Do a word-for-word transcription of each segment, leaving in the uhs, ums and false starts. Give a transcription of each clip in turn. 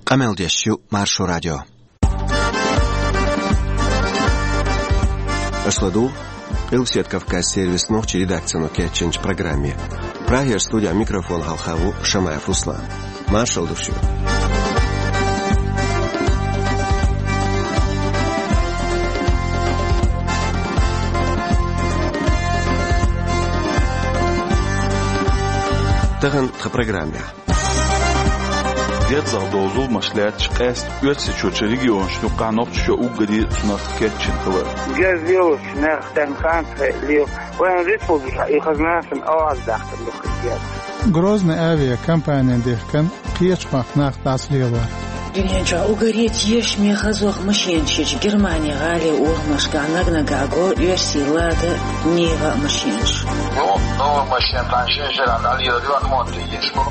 Къамел деш ю Маршо радио. Аша ладугӀу Къилбаседа Кавказан сервисан нохчийн редакцино кечйинчу программе. Прагера студин микрофона хьалха ву Шамаев Руслан. Маршалла ду шуьга. Тахана тхан программехь. Герзах долу зуламаш лаьтташ къаьстта Оьрсийчоьнан регионашна юкъахь Нохчийчоь уггаре а цунах кечйина хилар. Герз лелочу нах тӀаьхьа ханца хье лела. Вайн республикехь и хаза нахана аваза дахкар ду хир герз. Грозный авиакомпанин дехкан кхечу махкахь нах дӀасалелор. Дуьнен чохь уггаре а тешаме хазох машенаш ечу Германин гӀалин урамашкахь наг-наггахь го оьрсийн Лада, Нива машенаш. Ну, новая машина, там шен шеран дӀалелар ю, ремонт еш бу.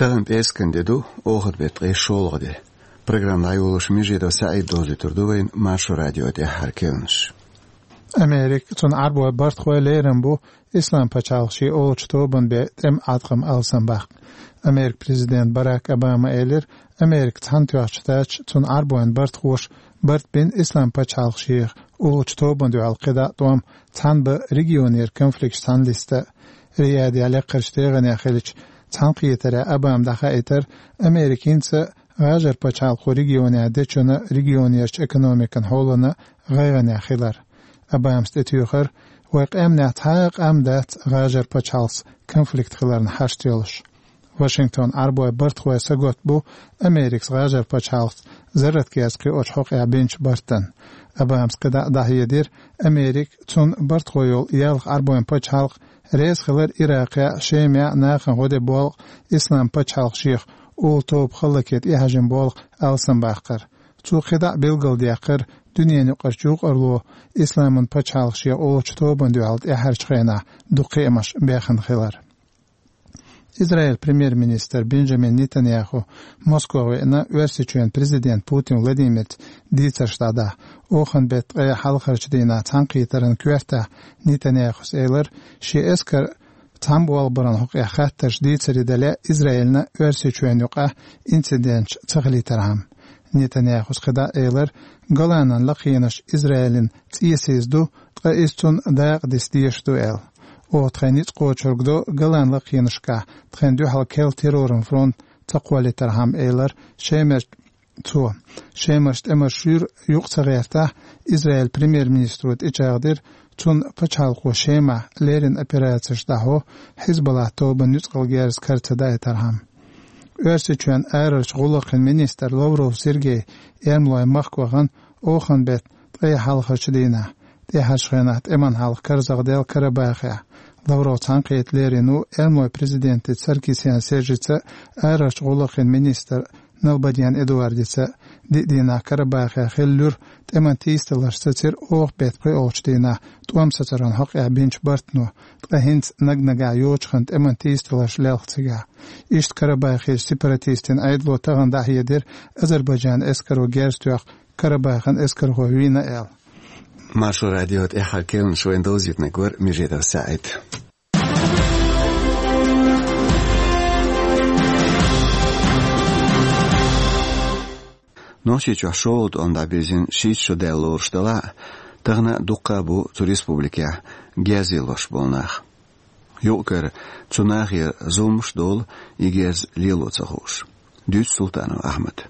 Тахана пӀераскан де ду, оханан беттан ткъе шолгӀа де. Программа дӀайолош Межидов СаӀид довзуьйтур ду вайна Маршо радион тӀаьххьара керланаш. Америка, цуьнан Ӏарбойн бартахой лерина бу Ислам пачхьалкх шен олучу тобанан бен тӀеман Ӏаткъам алсамбаккха. Америкин президента Барак Обама элира, Америка цхьаьнатоьхначу тача цуьнан Ӏарбойн бартахоша барт бина Ислам пачхьалкх шех олучу тобанна дуьхьал кхидӀа а тӀом цхьаьна бан регионера конфликташ цхьаьна листа а. Риядехь лекхарчу тегӀанехь хиллачу цхьаьнакхетарехь Обама дӀахаийтира, Америка хӀинца а ГӀажар пачхьалкхо регионехь дечунна регионерчу экономикан хьолана гӀайгӀанехь хилар. Обамас тӀетуьйхира, вайн къаьмнехь цхьа а къам дац ГӀажар пачхьалкхца конфликт хиларна хьашт йолуш. Вашингтон Ӏарбойн бартахой сагатбу Америкас ГӀажар пачхьалкхца зарратгерз кхиочу хьокъехь бинчу бартана. Обамас кхидӀа а дӀахьедира, Америка, цуьнан бартахой йолу ялх Ӏарбойн пачхьалкх реза хилар Иракъехь, Шемехь нахана гӀо де болу Ислам пачхьалкх шех олу тоба хӀаллаке тӀехьажина болу алсамбаккхар. Цо кхидӀа а билгалдаьккхира дуьненан юкъарчу юкъарло Исламан пачхьалкх шех олучу тобанна дуьхьал тӀаьххьарчу хенахь дукха кхиамаш бехна хилар. Израиль премьер-министр Бенджамин Нетаньяху Москва веана Оьрсийчоьнан президент Путин Владимирца дийцарш дӀадахьа. Оханан беттан ткъе хьалхарчу дийнахь цхьаьнакхетаран коьртехь Нетаньяхус элира, шен эскар цхьаьна болх баран хьокъехь хаттарш дийцаре дале а Израилна Оьрсийчоьнна юкъахь инциденташ ца хилийтархьама. Нетаньяхус кхидӀа а элира, Голанан лакхенаш Израилан цӀе сийсаз ду, ткъа иза цунна дакъа диса дезаш ду аьлла. Оха тхайн ницкъ кхочург до Голан лакхенашкахь тхайна дуьхьал керла терроран фронт ца кхоллийтархьама, элира Шемер цо. Шемарчу тӀемаш шуьйра юкъа ца гӀертахь, Израиль премьер-министро тӀечӀагӀдира, цунна пачхьалкхо Шемахь леррина операцеш дӀахьо, Хьизбаллахь тобанан нуьцкъала герз кара ца даийтархьама. Оьрсийчоьнан арарчу гӀуллакхийн министр Лавров Сергей эрмалойн махка вахана оханан беттан ткъе хьалхарчу дийнахь, тӀаьхьарчу хенахь тӀеман хьалха карзахдаьлла Карабахехь. Лавров цхьаьнакхета лерина ву эрмалойн президентаца Саркисян Сержица а, арарчу гӀуллакхийн министр Налбандян Эдуардица а. Диъ дийнахь Карабахехь хиллачу тӀеман тийсадаларш сацира оха беттан пхоьалгӀачу дийнахь тӀом сацаран хьокъехь бинчу бартано, ткъа хӀинца наг-наггахь йочахана тӀеман тийсадаларш лелха цигахь. Иштта Карабахерчу сепаратистийн Ӏедало тахана дӀахьедира, Азербайджанан эскаро герз тоьхна Карабахан эскархой вийна аьлла. Маршо радион тӀаьххьара керланаш вайна довзийтинарг вара Межидов СаӀид. Нохчийчохь шолгӀа тӀом дӀабирзина шийтта шо даьлла лоруш делахь а, тахана а дуккха а бу цу республикехь герз лелош болу нах. Юкъ-кара цу нахера зуламаш а долу и герз лело ца хууш. Дуьйцу Султанов Ахьмада.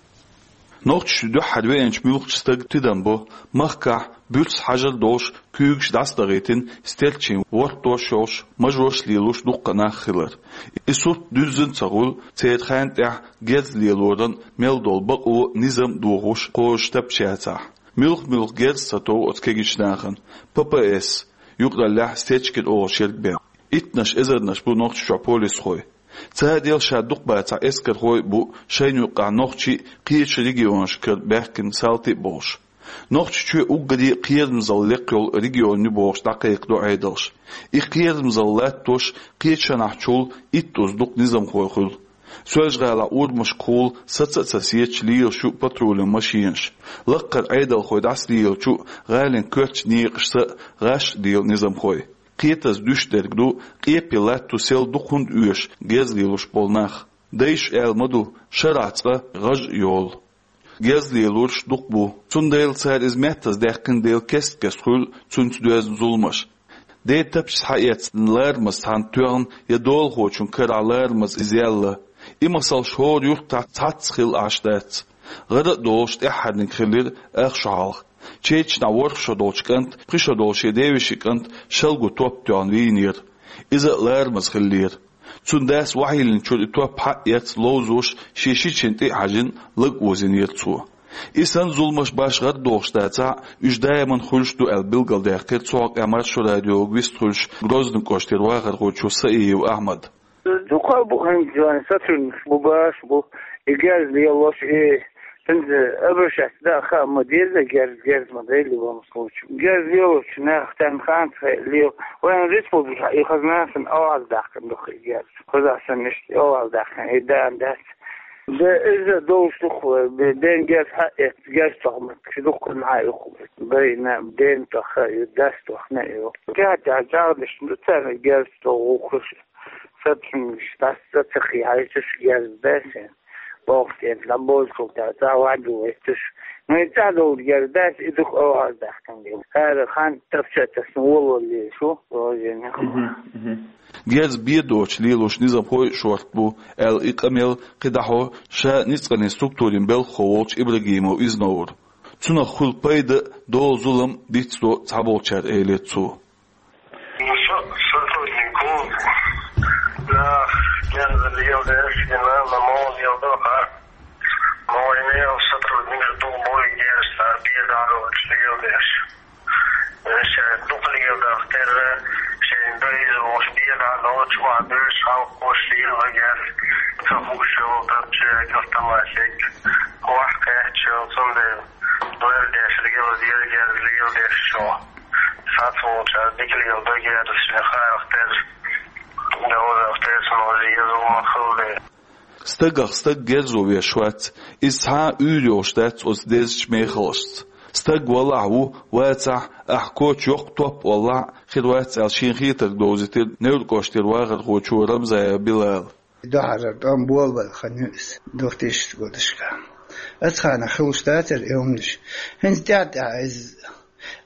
Нохчийчу дуьххьара веанчу муьлххачу стага тидам бо махкахь буьрса хьажар а долуш, куьйгаш дӀасадахийтина, стерчийн вортош а йолуш, мажош а лелош дуккха а нах хилар. И сурт дуьззина ца хуьлу церан хенан тӀехь герз лелоран мел долу бакъо, низам а дохуш кхозуш тапча яцахь. Муьлхха-муьлхха герз ца тов оцу кегийчу нахана, П П С, юкъараллехь Стечкин олуш ерг бен. Иттаннаш эзарнаш бу Нохчийчохь полисхой. Цара дел ша дукха бацахь эскархой а бу шайна юккъахь нохчий а, кхечу регионашкара баьхкина салти а болуш. Нохчийчоь уггаре а кхерамзалла лекха йолу регион ю бохуш дӀакхайкхадо Ӏедалш. И кхерамзалла латтош кхечанахьчул итт уз дукха низамхой хуьлу. Соьлжа-ГӀалахь урамашкахула саца а ца сецаш лелаш ю патрулан машенаш. Лаккхара Ӏедалхой дӀасалелачу а, гӀалин коьртачу некъашца а гӀаш а лела низамхой. Кхетаза дуьш дерг ду, къепе латто сел дукха хӀунда оьшу герз лелош болу нах. Дайша аьлла ма ду, шарахь цкъа гӀаж а йолу. Герз лелорш дукха бу, цундела цара иза меттаза даьккхина дела кест-кеста хуьлу цуьнца доьзна зуламаш. Ден тапча схьаэцна ларамаза цхьанна тоьхна я долахочун карахь ларамаза иза яьлла. И масалш хӀора юьртахь цхьацца хилла Ӏаш дац. ГӀара а долуш тӀаьххьарниг хилира ах шо хьалха. Чечнахь ворхӀ шо долчу кӀант, пхи шо долу шен девешин кӀант шалго топ тоьхна вийнера. Иза а ларамаза хиллера. Цуьнан дас вахьийлинчуьра и топ хьаэцна ловзош шен шичина тӀе а хьаьжжина лаг озийнера цо. И санна зуламаш башха гӀара дохуш дацахь а, уьш даиман хуьлуш ду аьлла билгалдаьккхира цу хьокъехь Маршо радиога вистхуьлуш Грозный кӀоштера вахархочо Саиев Ахьмада. Дукха бу хӀинца сотрудникаш бу, баш бу, и герз лелош, и хӀинца обращаться дан а хаа ма деза, герз, герз ма дай любом случае. Герз лелочу нах тан ханца хай лел. Вайн республика и хазна сан аваз дахкан духу и герз. Хазна сан иштта аваз дахкан, и дан дац. Да, иза долуш духу, бе-, бен герз хьаэц, герз тохмат, ши духу нахьа юху. Байна, ден тоха, и дас тохна, и. Тя, тя, жагадаш, ну, царна герз тоху хуш. Сотрудникаш дас, са ца хиайчуш герз дасен. Бохтен, ламбозкул та, ца ваду вайтуш. Ну, и ца долу герз дас, и духу аваз дахкан герз. Хара хан тапча тасна волу ле, шу, ожен. Герз бен доцуш лелош низамхой а шорта бу, аьлла и къамел кхидӀахьо ша ницкъанийн структурийн белхахо волчу Ибрагимов Изновра. Цунах хуьлу пайда а, долу зулам а дицдо цхьаболчара, элира цо. Ну, со-, сотруднику, да, герз лело деш, и на, на мол лело, ха. Мой мел сотрудник духу бой герз, а бен доцуш лело деш. Ша дукха леладахь терра, шайн дайза волуш бен доцуш, охьадуьйш, халкъ кхош лела герз, ца хууш йолу тапча, автоматик, охьакхаьчча, цундела лардеш, лела деза герз, леладеш чохь. Сац волчара дика лела до герз, шайн харах терра, довзах терра, ма веза, ма хилла. Стагах стаг герзо веш вац, иза цхьа а уьйр йолуш дац оцу дезачу мехалашца. Стаг валахь ву, вацахь, ахь коча йоккха топ валахь а, хир вац аьлла шен хетарг довзийтира Невран кӀоштера вахархочо Рамзаев Билала. Дуьххьара тӀом болабелла хан ю иза, двухтысячных годашка. Оцу хенахь хилуш дацара и хӀуманаш. ХӀинца тӀаьхьа-тӀаьхьа иза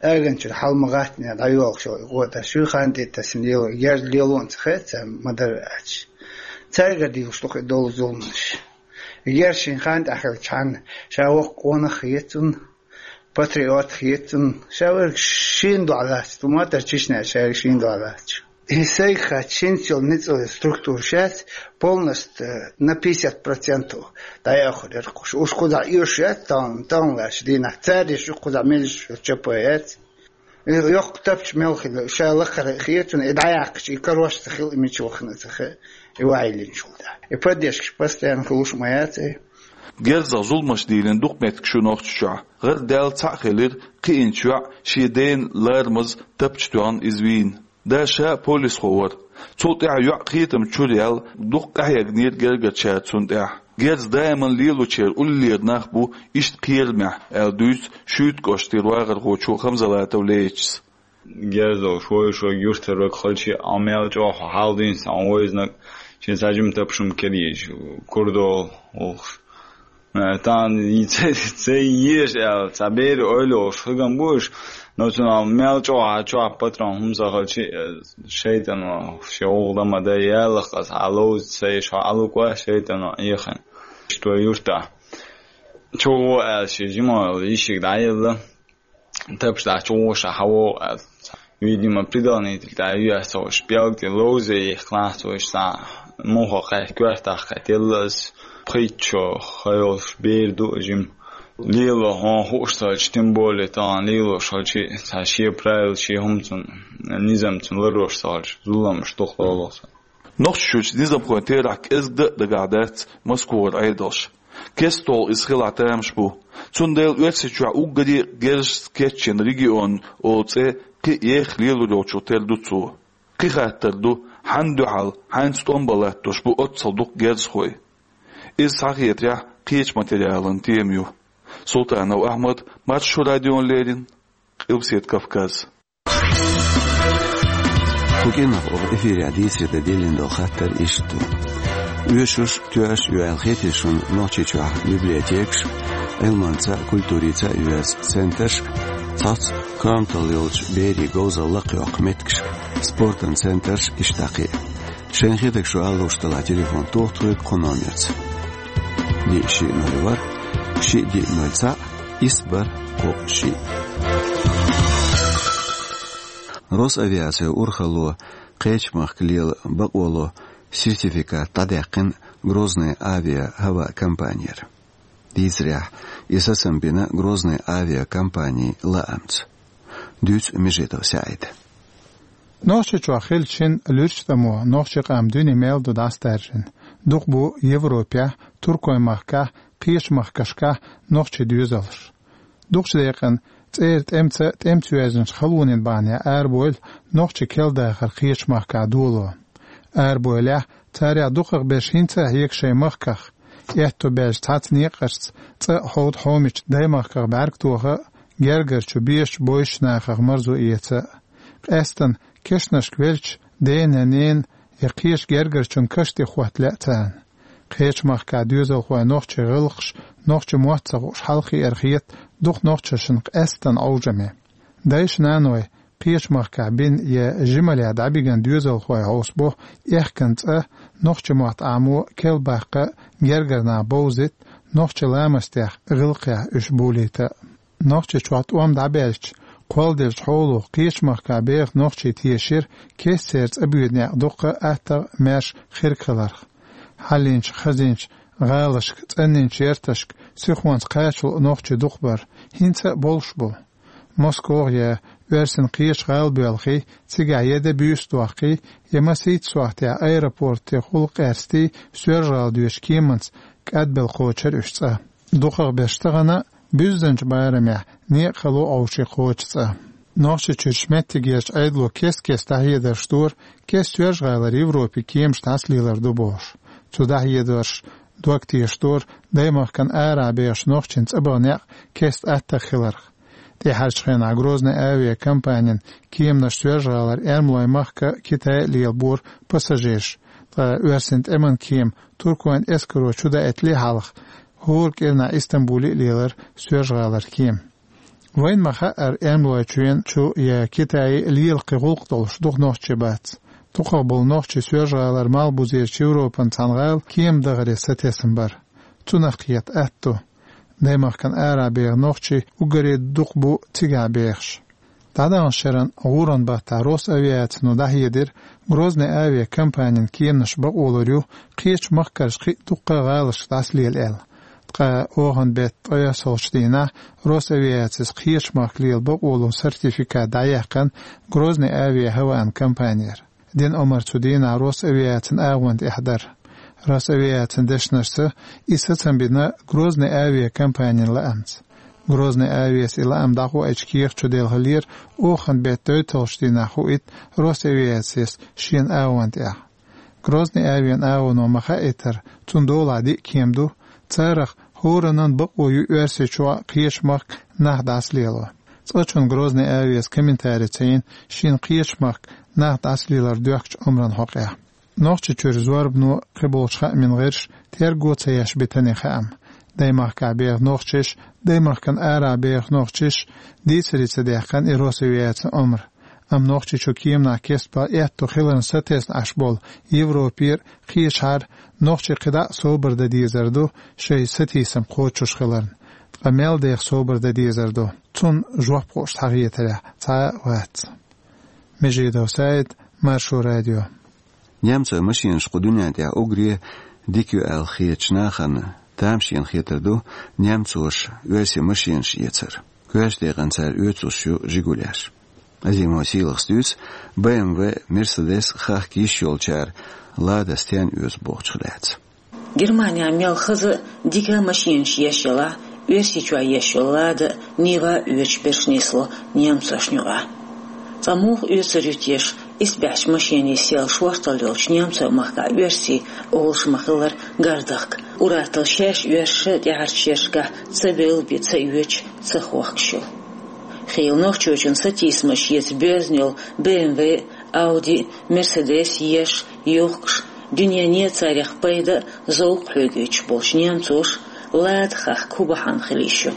аганчуьра хьал ма гӀаттане дӀайолуш йолу и гӀо тӀе шу хан тӀе тасина лело, герз лело а ца хета царна, ма-дарра аьлча. Цаьрга дийхуш ду-кх и долу зуламаш. Герз шен хан тӀехь хилчхьана, ша воккха къонах а хета цунна, патриот а хета цунна, ша верг шена дуьхьа лаьцна, ту ма-дарра Чечняхь шайга шена дуьхьа лаьцна. И сайга хаьттича, хӀинца йолу ницкъаллин структура шаьц полностью, э, на пятьдесят процентов дӀаяхьур яра кхуш. Уьш кхузахь оьшуш яц, тахана, тахана лаьттачу дийнахь. Цаьргаш ю кхузахь меллаша чопа яц. И йоккха тапча мел хилла, ша лакхара хетарна, и дӀаяьккхича, и карош ца хилла, и мича вахана ца хи, и ваийлинчул тӀаьхьа. И поддержкаш постоянно хилуш ма яц и. Герзах зуламаш дийлина дукха меттигаш ю Нохчийчохь. ГӀардаьлла цхьаъ хилира кхиъначу йоӀ шен дена ларамаза тапча тоьхна иза вийна. Да ша а полисхо вара. Цул тӀаьхьа йоӀ кхетам чуьра яьлла, дукха къахьегнера гергарчара цунна тӀехь. Герз даиман лелочеран уллера нах бу иштта кхерамехь, аьлла дуьйцу Шуьйта кӀоштера вахархочо Хамзалатов Лейтас. Герз долуш вовшашка юьртара вага хилча а, мел чӀогӀа хьал дийна сан вайзнаг, шен сажим тапшум кедийча, курдол, улхуш. Э, тан, и ца, ца еш аьлла, цхьа бер ойла йолуш хигам бу уьш, но цунах мел чӀогӀа чохь патрон хӀума ца хилча, э, шайтӀано шен гӀуллакх дан ма дай, ялах аса хьаловза ца еш, хьо Ӏалуква шайтӀано Ӏехина. Иштта вай юьртахь. Чу гӀо аьлла, шен жима йолу йишиг дӀаелла. Тапча дахьа чу гӀо ша хьавогӀу аьлла. Видимо, предохранитель тӀе ю аса цо, уьш пӀелг тӀе ловза яхканахь цо, уьш цхьа муха кхаьчча коьртах кхетелла аса. Пхийтта шо ха йолуш бер ду жима. Лело хьуна хууш ца хилча, тем более тахана лелош хилча, цхьа шен правила, шен хӀума цунна, низам цунна ларъеш ца хилча, зуламаш дукха лоло сан. Нохчийчуьра низамхойн терахь кӀезга дан а дагахь дац Москвара Ӏедалш. КестолгӀа иза хилахь тамаш бу. Цундела Оьрсийчохь уггаре а герзашца кечйина регион олу цӀе кхин а еха лелор йолчух тера ду цо. Кхин хаттар ду, хьанна дуьхьал, хьаьнца тӀом бан латтош бу оццул дукха герзахой. Иза, схьахетарехь, кхечу материалан тема ю. Султанов Ахьмад, Маршо радиона леррина, Къилбаседа Кавказ. Кху кӀирнах оха эфирехь дийцаре дан диллина долу хаттар иштта ду. Оьшуш, тоьаш а ю аьлла хетий шуна Нохчийчохь библиотекаш, Ӏилманца а, культурица а оьзда центраш, цхьацца коьрталла йолчу берийн говзалла лакхайоккху меттигаш, спортан центраш, иштта кхин а? Шайна хетарг шу ала лууш делахь, телефон тоха тхоьга кху номерца: диъ, шиъ, ноль, ворхӀ, шиъ, диъ, ноль, цхьаъ, исс, бархӀ, кхоъ, шиъ. Росавиацин урхалло кхечу махка лела бакъо ло сертификат дӀадаьккхина Грозный авиа-хӀаваъ компанера. Дийцарехь, и сацам бина Грозный авиакомпанин лаамца. Дуьйцу Межидов СаӀида. Нохчийчохь хиллачу шина луьрачу тӀамо нохчийн къам дуьне мел ду дӀасадаьржина. Дукха бу Европехь, Туркойн махкахь, кхечу махкашкахь нохчийн доьзалш. Дукхачу декъана цӀера тӀемца, тӀемца йоьзначу халонийн бахьанехь арабевлла, нохчийн керла дахар кхечу махкахь доло. Арабевллехь, царех дукхахберш хӀинца а хьега шайн махках, аьтто баьлча цхьацца некъашца, цӀа а, хьовда, хьомича даймахках бӀаьрг тоха а, гергарчу бешачу, бовзучу нахах марзо эца а. Къаьстина кешнашка велча, дена, ненан я кхечу гергарчун каш тӀе хӀотта лаьа царна. Кхечу махкахь доьзалхойн нохчийн гӀиллакхаш нохчийн мотт ца хууш хьалххе а хета дукха нохчашна къаьстина Ӏовжаме. Дайша-наной кхечу махкахь бина я жималлехь дӀабигна доьзалхой хьовсабо аьхкан цӀа, нохчийн мотт Ӏамо, керла баккха а, гергара нах бовзийта, нохчийн ламастех, гӀиллакхех уьш болийта а. Нохчийчохь тӀом дӀабаьлча, кхолладеллачу хьоло кхечу махкахь беха нохчий тешира кест церан цӀа боьду некъ дуккха а аттагӀа, маьрша, хирг хиларх. Хьаллинчу, хазинчу гӀалашка, цӀанйинчу ярташка сихонца кхача луъу нохчий дукха бара, хӀинца а болуш бу. Москох я оьрсийн кхечу гӀалабоьлхий цигахь я де буьйса доккхий, я масийтта сохьтехь аэропортехула къаьстий, Соьлжа-ГӀала доьдучу кеманца кӀадбелла кхочура уьш цӀа. Дукхахберш тахана а буьззинчу барамехь некъ хало Ӏовший кхочу цӀа. Нохчийчуьрчу меттигерчу Ӏедало кест-кеста дӀахьедарш дора, кеста Соьлжа-ГӀалара Европе кеманаш дӀасалелар ду бохуш. Цу дӀахьедарша дог тешаш дора даймахкана арахь бехачу нохчийн цӀа баха некъ кеста аттагӀа хиларх. ТӀаьхьарчу хенахь Грозный авиакомпанин кеманаш Соьлжа-ГӀалара Эрмалойн махка а, Китае а лелабора пассажирш, ткъа оьрсийн тӀеман кема Туркойн эскаро чудаийтале хьалха, хӀора кӀирнахь Истамбуле а лелара Соьлжа-ГӀалара кема. Вайна ма-хаъара, Эрмалойчоьнан чу я Китае лела кхин гӀуллакх долуш дукха нохчий бац. Дукхах болу нохчий Соьлжа-ГӀалара малхбузерчу Европан цхьана гӀала кема дахаре сатесна бара. Цунах кхета атта ду. Даймахкана арахь беха нохчий уггаре дукха бу цигахь бехаш. ДӀадаханчу шеран гӀуран баттахь Росавиацино дӀахьедира, Грозный авиакомпанин кеманаш бакъо лур ю кхечу махкарчу кхин а дуккха а гӀалашка дӀасалела аьлла. Ткъа оханан беттан ткъайоьсналгӀачу дийнахь Росавиацис кхечу махка лела бакъо лун сертификат дӀаяьккхина Грозный авиа-хӀаваан компанера. Дина омра цу дийнахь Росавиацин агӀонна тӀехь дара. Росавиацин дешнашца, и сацам бина Грозный авиакомпанин лаамца. Грозный авиас и лаам дӀахоуьйтучу кехат чу делхалера, оханан беттан дойталгӀачу дийнахь хуийта Росавиацис шен агӀонна тӀехь. Грозный авиан агӀоно ма-хаийтара, цунна долахь диъ кема ду, царах хӀораннан бакъо ю Оьрсийчохь а, кхечу махка нах дӀасалело. Цкъачунна Грозный авиас комментари ца йина шена кхечу махка нах дӀасалелар доьхкучу омран хьокъехь. Нохчийчуьра зорбано, кхиболчу хаамийн гӀирсаша терго ца еш битина и хаам. Даймахкахь беха нохчаша, даймахкана арахь беха нохчаша дийцаре ца даьккхина и Росавиацин омра. Амма Нохчийчу кеманах кестбан аьтто хиларна сатесна Ӏаш болу Европера, кхечахьара нохчий кхидӀа а собар дан дезар ду, шайн сатийсам кхочуш хиларна. Ткъа мел деха собар дан дезар ду, цунна жоп хууш схьахетарехь цхьа а вац. Межидов СаӀид, Маршо радио. Немцойн машенаш кху дуьнен тӀехь уггаре дика ю аьлла хетачу нахана тамашийна хетар ду немцоша оьрсийн машенаш эцар. Коьртачу декъана цара оьцуш ю жигулеш. Азимов Сийлахьас дуьйцу Б М В, Мерседес хахка йиш йолчара Лада стенна оьцу бохучух лаьцна. Германехь мел хаза а, дика а машенаш еш ялахь, Оьрсийчохь еш йолу Лада а, Нива а оьцуш берш нисло немцошна юкъахь. Цкъа муха оьцур ю теша, исбаьхьчу машенийн сел шорталла йолчу Немцойн махкахь оьрсийн олуш ма-хиллара гардахка, ур-атталла шаьш оьрсаша тӀаьхьарчу шерашкахь ца бевлла бен ца оьцуш, ца хохкуш йолу. Хийла нохчочун сатийсамаш эца боьзна йолу Б М В Ауди, Мерседес еш, юхкуш, дуьнене царех пайда, зовкх хьоьгуьйтуш болчу немцоша Лада хахка хӀун бахьана хила йиш ю?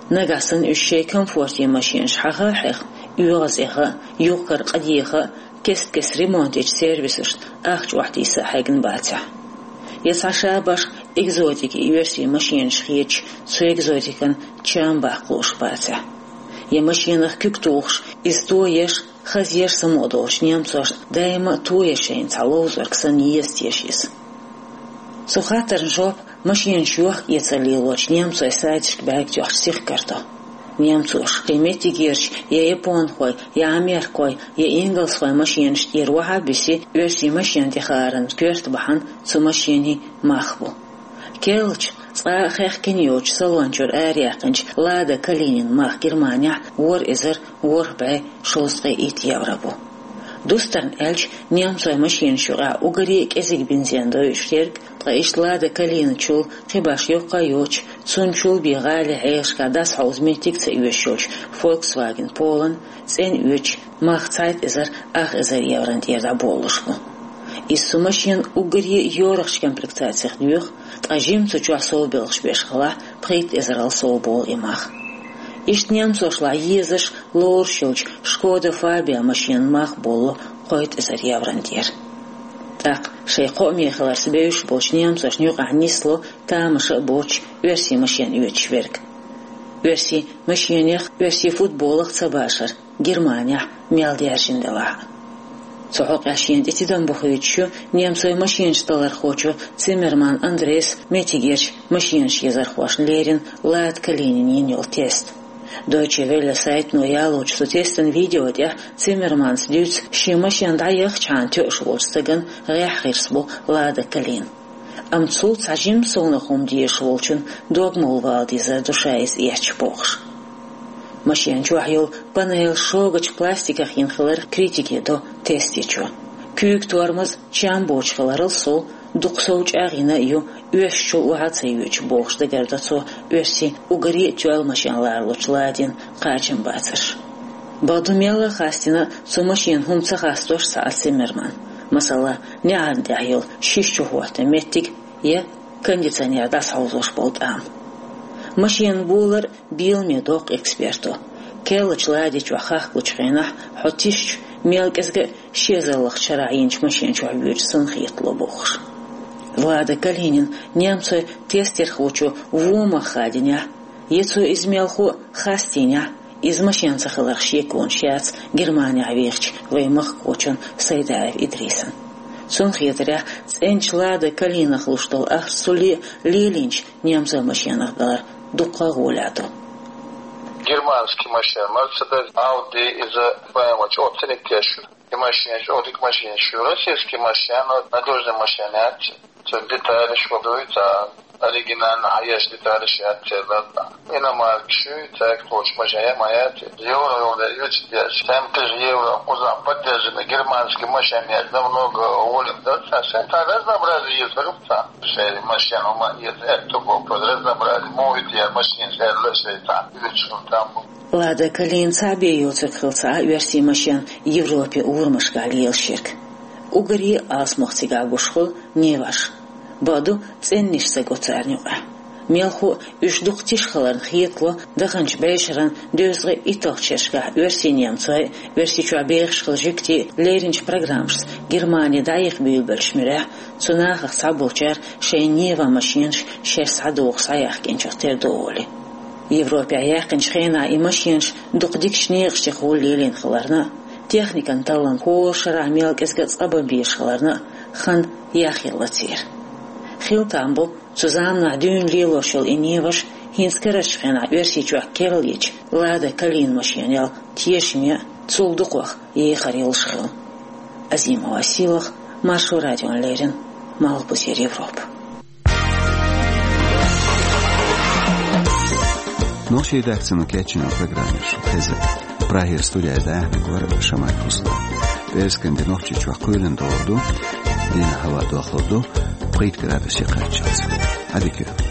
Нагахь санна уьш шайн комфорте машенаш хьаха а хьеха, оьгӀаз эха а, юхкар къа деха а, кест-кеста ремонт ечу сервисашна ахча охьатийса а хьегна бацахь. Я цхьа шабаш экзотики оьрсийн машенаш хеташ, цу экзотикан чам баккха лууш бацахь. Я машенах куьг тухуш, иза тоеш, хазъеш самукъа долчу немцошна даима а тоеш шайна цхьа ловзорг санна еза теша иза. Цу хаттарна жоп машенаш йохка-эцар лелочу немцойн сайташка бӀаьрг тоьхча сихкар до. Немцоша шайн меттигерчу я японхой, я америкхой, я ингалсхой машенаш тӀера охьа а бисий, оьрсийн машен тӀехааран коьрта бахьана цу машенийн мах бу. Керлачу, цкъа а хехкина йоцучу салон чуьра араяьккхинчу Лада Калинин мах Германехь ворхӀ эзар ворхӀ бӀе шовзткъе итт евро бу. Дустарна аьлча, немцойн машенаш юкъахь уггаре а кӀезиг бензин дойуш ерг, ткъа иштта Лада Калиначул, кхин башха йоккха а йоцуш, цуьнчул бен гӀалин хьешашкахь дӀасахьовза меттиг а ца оьшуш йолчу Volkswagen Polo-н цӀена оьцуш мах цхьайтта эзар ах эзар еврон тӀера дӀаболалуш бу. Иза цу машенан уггаре а йорахчу комплектацех доьху, ткъа жимма цу чохь совбелхаш беш хилахь, пхийтта эзарал совболу и мах. Иштта немцошлахь езаш, лоруш йолчу Шкода Фабия машенан мах болало кхойтта эзар еврон тӀера. ТӀаккха шайн кхоаме хиларца бевзаш болчу немцошна юкъахь нисло тамаша а боцуш оьрсийн машен оьцуш верг. Оьрсийн машенех, оьрсийн футболах ца башар, Германехь мел даьржина делахь а. Цу хьокъехь шена тӀе тидам бохуьйтуш ю немцойн машенаш талархочо Циммерман Андрейс меттигерчу машенаш езархошна леррина Лада Калинина йина йолу тест. Deutsche Welle сайтано ялочу цу тестан видео тӀехь Циммерманс дуьйцу шен машен дӀаяхчхьана тоьуш волчу стагана гӀеххьа гӀирс бу Лада Калина. Амма цул цхьа жимма совнаха хӀума дезаш волчун догмалла вала дезар ду ша иза эцча бохуш. Машен чохь йолу панель шогачу пластиках йина хилар критике до тестечо. Куьйга тормоз чам боцуш хиларал сов, дукха сов чӀагӀйина а ю, оьшучул охьа а ца йоьдуш бохуш дагардо цо оьрсийн уггаре а тоьлла машен ларалучу Ладин кхачам бацарш. Бакъду, мелла а хастийна цу машенан хӀума ца хастош цхьа а Циммерман. Масала, неӀарна тӀехь йолу шиша чухӀотта меттиг я кондиционер дӀасахьовзош болу тӀам. Машенан болар беламе доккху эксперто. Керлачу Лади чохь хахкалучу хенахь хьо тишачу, мел кӀезга а ши эзарлагӀчу шарахь йинчу машен чохь воьдуш санна хетало бохуш. Лада Калинин немцойн тестехочо вон мах хадийнехь, я цо иза мелхо а хастийнехь, иза машен ца хиларх шеконаш яц Германехь вехачу вайн махкахочун Сайдаев Идрисан. Цунна хетарехь, цӀеначу Лада Калинах луш долу ахча цуле а лелийначу немцойн машенах далар дуккха а гӀолехь ду. Германский машина, Мерседес, Ауди, иза БМВ чӀогӀа цӀена теш ю. И машинаш, чӀогӀа дика машинаш ю. Российский машина, надёжный машина яц. Цуьнан деталаш хӀун дуй, цхьа оригинально хьаеш деталаш яц церан. Иномаркаш ю, цаьрга кхочуш машина яц. Евро йолу оьцуш деш, семь тысяч евро кхузахь поддержанный германский машина яц намного гӀолехь дац. Цхьа разнообразие еза хир ю цхьа. Шайн машина хӀума еза аьтту боху, разнообразие. Мовит яр машина шаьрла шайн цхьа. Оьцуш хӀума там бу. Лада Калина цхьаъ бен йоцург хилла ца Ӏа оьрсийн машен Европе урамашкахь лелаш ерг. Уггаре а алсамох цигахь гуш хуьлу Ниваш. Бакъду, цӀеннаш ца го царна юкъахь. Мелхо а уьш дукха тиша хиларна хетало, даханчу бӀешеран дезткъе итталгӀачу шерашкахь оьрсийн немцой а, Оьрсийчохь бехаш хилла жуьгтий а лерринчу программашца Германи дӀаяха буьйлабеллачу муьрехь, цу нахах цхьаболчара шайн Нива машенаш шаьш схьадогӀуш схьаяхкинчух тера ду олий. Европехь яьккхинчу хенахь и машенаш дукха дикачу некъаш тӀехула лелийна хиларна а, техникан таллам хӀора шарахь мел кӀезга а цкъа бан безаш хиларна а, хан яхъелла церан. Хилла там бу, цу заманахь дуьйна лелош йолу и Ниваш хӀинца карарчу хенахь Оьрсийчохь керла йечу Лада Калина машенал тешаме а, цул дукхох ехар йолуш хилла. Азимова Сийлаха, Маршо радиона леррина, Малхбузера Европа. Нохчийн редакцино кечйина программа шу хезира. Прагера студехь дӀахьош вара Шамаев Руслан. ПӀераскан де Нохчийчохь кхоьлина догӀур ду, дийнахь хӀаваъ дохлур ду пхийтта градусе кхаччалц. Ӏадика йойла.